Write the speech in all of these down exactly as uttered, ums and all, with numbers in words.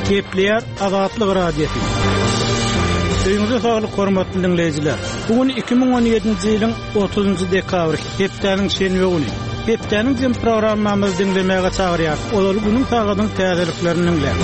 Gepleýär Azatlyk Radiosy. Öýüňize saglyk hormatly dinleýjiler. Bu gün iki müň on ýedinji ýylyň otuzynjy dekabry, hepdäniň şenbe güni. Hepdäniň jem programmamyzy diňlemäge çagyrýar. Ozaly günüň sagadyň täzeliklerini diňläň.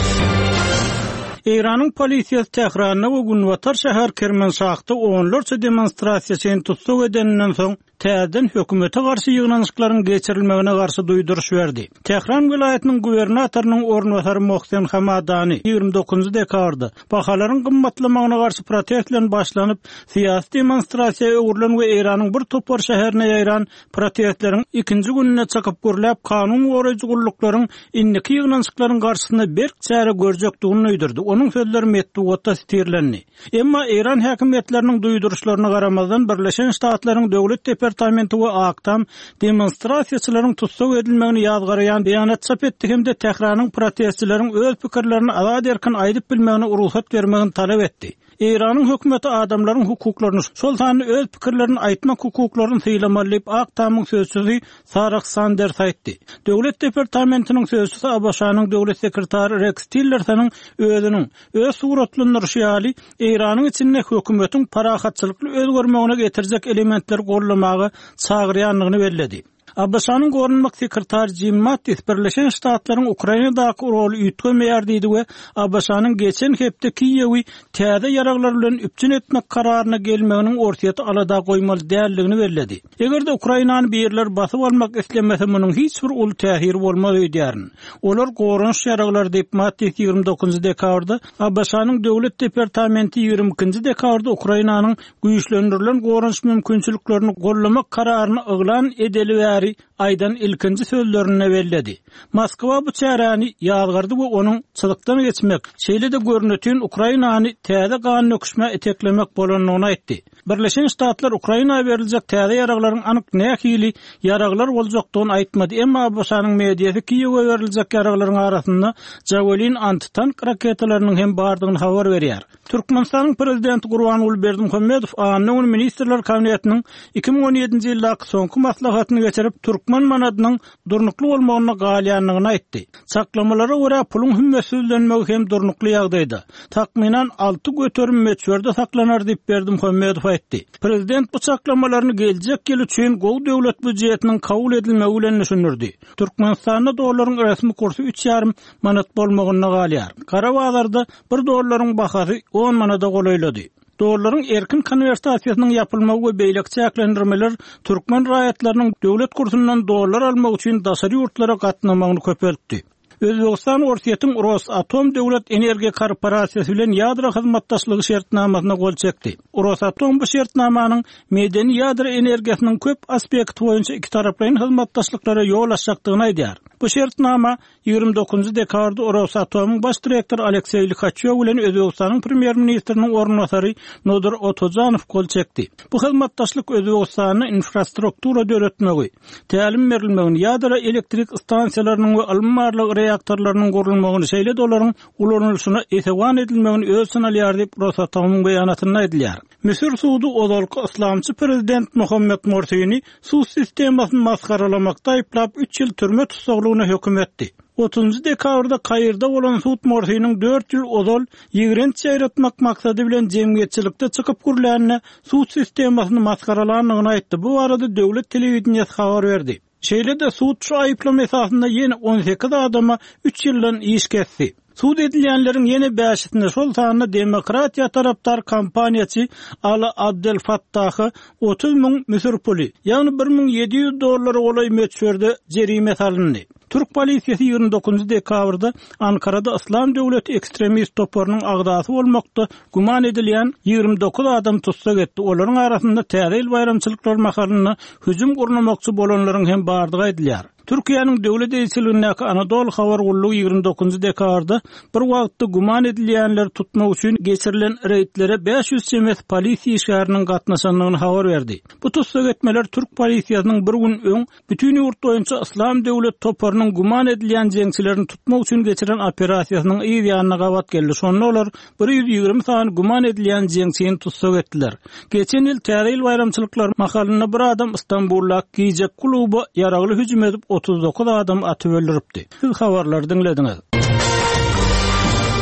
Eýranyň polisiýasy Tähranda we Günbatar şäher Kermanşahda onlarça demonstrasiýaçyny tussag edeninden soň täzeden hökümete garşy ýygnanyşyklaryň geçirilmegine garşy duýduryş berdi. Tähran welaýatynyň gubernatorynyň orunbasary Mohsen Hamadani ýigrimi dokuzynjy dekabrda bahalaryň gymmatlamagyna garşy protest bilen başlanyp, syýasy demonstrasiýa öwrülen we Eýranyň bir topar şäherine ýaýran protestleriň ikinji gününe çykyp gürläp, kanun goraýjy gulluklaryň indiki ýygnanyşyklaryň garşysynda berk çäre görjekdigini duýdurdy. Onuň sözleri metbugatda sitirlendi. Emma Eýran häkimiýetleriniň duýduryşlaryna garamazdan Birleşen Ştatlaryň Döwlet Departamenti we Ak Tam demonstrasiýaçylaryň tussag edilmegini ýazgaraýan beýanat çap etdi hem-de Tähranyň protestçileriň öz pikirlerini azat erkin aýdyp bilmegine rugsat bermegini talap etdi. Eýranyň hökümeti adamlaryň hukuklaryny, şol sanda öz pikirlerini aýtmak hukuklaryny sylamaly diýip Ak Tamyň sözçüsi Sarah Sanders aýtdy. Döwlet Departamentiniň sözçüsi ABŞ-nyň döwlet sekretary Rex Tillersonyň özüniň öz suratlandyryşy ýaly Eýranyň içinde hökümetiň parahatçylykly özgermegine getirjek elementleri gollamaga çagyrýandygyny belledi. ABŞ-nyň goranmak sekretary Jim Mattis Birleşen Ştatlaryň Ukrainadaky roly üýtgemeýär diýdi we ABŞ-nyň geçen hepde Kiýewi täze ýaraglar bilen üpjün etmek kararyna gelmeginiň Orsýeti alada goýmaly däldigini belledi. Eger-de Ukrainany birler basyp almak islemese munuň hiç bir uly täsiri bolmaz öýdýärin. Olar goranyş ýaraglary diýip Mattis ýigrimi dokuzynjy dekabrda ABŞ-nyň Döwlet Departamenti ýigrimi ikinji dekabrda Ukrainanyň güýçlendirilen goranyş mümkinçiliklerini gollamak kararyny yglan edeli bäri aýdan ilkinji sözlerinde belledi. Moskwa bu çäräni ýazgardy we onuň çyzykdan geçmek, şeýle-de görnütün Ukrainany täze gan döküşmä eteklemek bolandygyny aýtdy. Birleşen Ştatlar Ukraina beriljek täze ýaraglaryň anyk nähili ýaraglar boljakdygyny aýtmady. Emma ABŞ-nyň mediasy Kiýewe beriljek ýaraglaryň arasynda Javelin antitank raketalarynyň hem bardygyny habar berýär. Türkmenistanyň prezidenti Gurbanguly Berdimuhamedow anna gün Ministrler Kabinetiniň iki müň on ýedinji ýyldaky soňky maslahatyny geçirip, türkmen manadynyň durnukly bolmagyna galýandygyny aýtdy. Çaklamalara görä puluň hümmetsizlenmegi hem durnukly ýagdaýda. Takmynan alty göterim möçberde saklanar diýip Berdimuhamedow aýtdy. Prezident bu çaklamalaryny geljek ýyl üçin gowy döwlet býujetiniň kabul edilmegi bilen düşündirdi. Türkmenistanda dollaryň resmi kursy üç ýarym manat bolmagynda galýar. Gara bazarda bir dollaryň bahasy on manada golaýlady. Dollaryň erkin konwertasiýasynyň ýapylmagy we beýleki çäklendirmeler türkmen raýatlarynyň döwlet kursundan dollar almak üçin daşary ýurtlara gatnamagyny köpeltdi. Özbegistan Orsýetiň Rosatom Döwlet Energiýa Korporasiýasy bilen ýadro hyzmatdaşlygy şertnamasyna gol çekdi. Rosatom bu şertnamanyň medeni ýadro energiýasynyň köp aspekti boýunça iki taraplaýyn hyzmatdaşlyklara ýol açjakdygyny aýdýar. Bu şertnama ýigrimi dokuzynjy dekabrda Rosatomyň baş direktory Alekseý Likaçýow bilen Özbegistanyň premýer-ministriniň orunbasary Nodir Otojanow gol çekdi. Bu hyzmatdaşlyk Özbegistanda infrastruktura döretmegi, tälim berilmegini, ýadro elektrik stansiýalarynyň we ylmy barlag reaktorlarynyň gurulmagyny, şeýle-de olaryň ulanylyşyna esewan edilmegini öz içine alýar diýip Rosatomyň beýanatynda aýdylýar. Müsür sudy ozalky yslamçy prezident Muhammed Morsini sud sistemasyny masgaralamakda aýyplap üç ýyl türme tussaglygyna höküm etdi. Otuzunjy dekabrda Kairde bolan sud Morsiniň dört ýyl ozal ýigrenç ýaýratmak maksady bilen jemgyýetçilikde çykyp gürlänine sud sistemasyny masgaralandygyny aýtdy. Bu barada döwlet telewideniýesi habar berdi. Şeýle-de sud şu aýyplama esasynda ýene on sekiz adama üç ýyldan iş kesdi. Sud edilýänleriň ýene bäşisinde şol sanda demokratiýa tarapdar kampaniýaçy Ala Abdel Fattaha otuz müň müsür puly, ýagny bir müň ýedi ýüz dollara golaý möçberde jerime salyndy. Türk polisiýasy ýigrimi dokuzynjy dekabrda Ankarada Yslam döwleti ekstremist toparynyň agzasy bolmakda güman edilýän ýigrimi dokuz adam tussag etdi. Olaryň arasynda täze ýyl baýramçylyklary mahalynda hüjüm gurnamakçy bolanlaryň hem bardygy aýdylýar. Türkiýäniň döwlet eýeçiligindäki Anadolu habar gullugy ýigrimi dokuzynjy dekabrda bir wagtda güman edilýänleri tutmak üçin geçirilen reýdlere bäş ýüz çemesi polisiýa işgäriniň gatnaşandygyny habar berdi. Bu tussag etmeler Türk polisiýasynyň bir gün öň bütün ýurt boýunça Yslam döwlet toparynyň güman edilýän jeňçilerini tutmak üçin geçiren operasiýasynyň yz ýanyna gabat geldi. Şonda olar bir ýüz ýigrimi sany güman edilýän jeňçini tussag etdiler. Geçen ýyl täze ýyl baýramçylyklary mahalynda bir adam Istanbulda gije kluba ýaragly hüjüm edip otuz dokuz adam atyp öldüripdi. Siz habarlary diňlediňiz.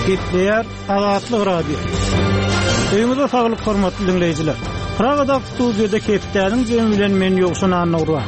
Gepleýär Azatlyk Radiosy. Öýüňize saglyk hormatly diňleýjiler. Pragada studiýada hepdäniň jemi bilen men Ýowşan Annagurban.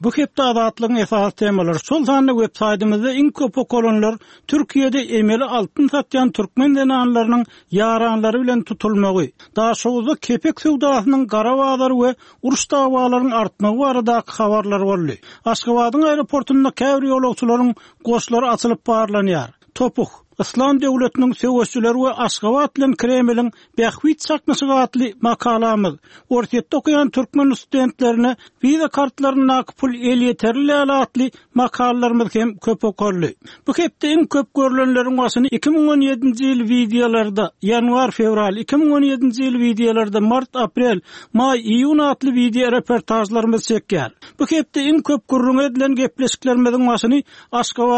Bu hepde Azatlygyň esasy temalary şol sanda web saýtymyzda iň köp okalanlar Türkiýede emeli altyn satýan türkmen zenanlarynyň ýaranlary bilen tutulmagy, Daşoguzda kepek söwdasynyň gara bazary we uruş dawalaryň artmagy baradaky habarlar boldy. Aşgabadyň aeroportunda käbir ýolagçylaryň goşlary açylyp barlanýar. Topuh, Yslam döwletiniň söweşçileri we Aşgabat bilen Kremliň bähbit çaknyşygy atly makalamyz, Orsýetde okaýan türkmen studentlerine wiza kartlaryndaky pul elýeterli däl atly makalalarymyz hem köp okaldy. Bu hepde iň köp görülenleriň başyny iki müň on ýedinji ýyl wideolarda, ýanwar-fewral, iki müň on ýedinji ýyl wideolarda, mart-aprel, maý-iýun atly wideo reportažlarymyz çekýär. Bu hepde iň köp gürrüň edilen gepleşiklerimiziň başyny Aşgabat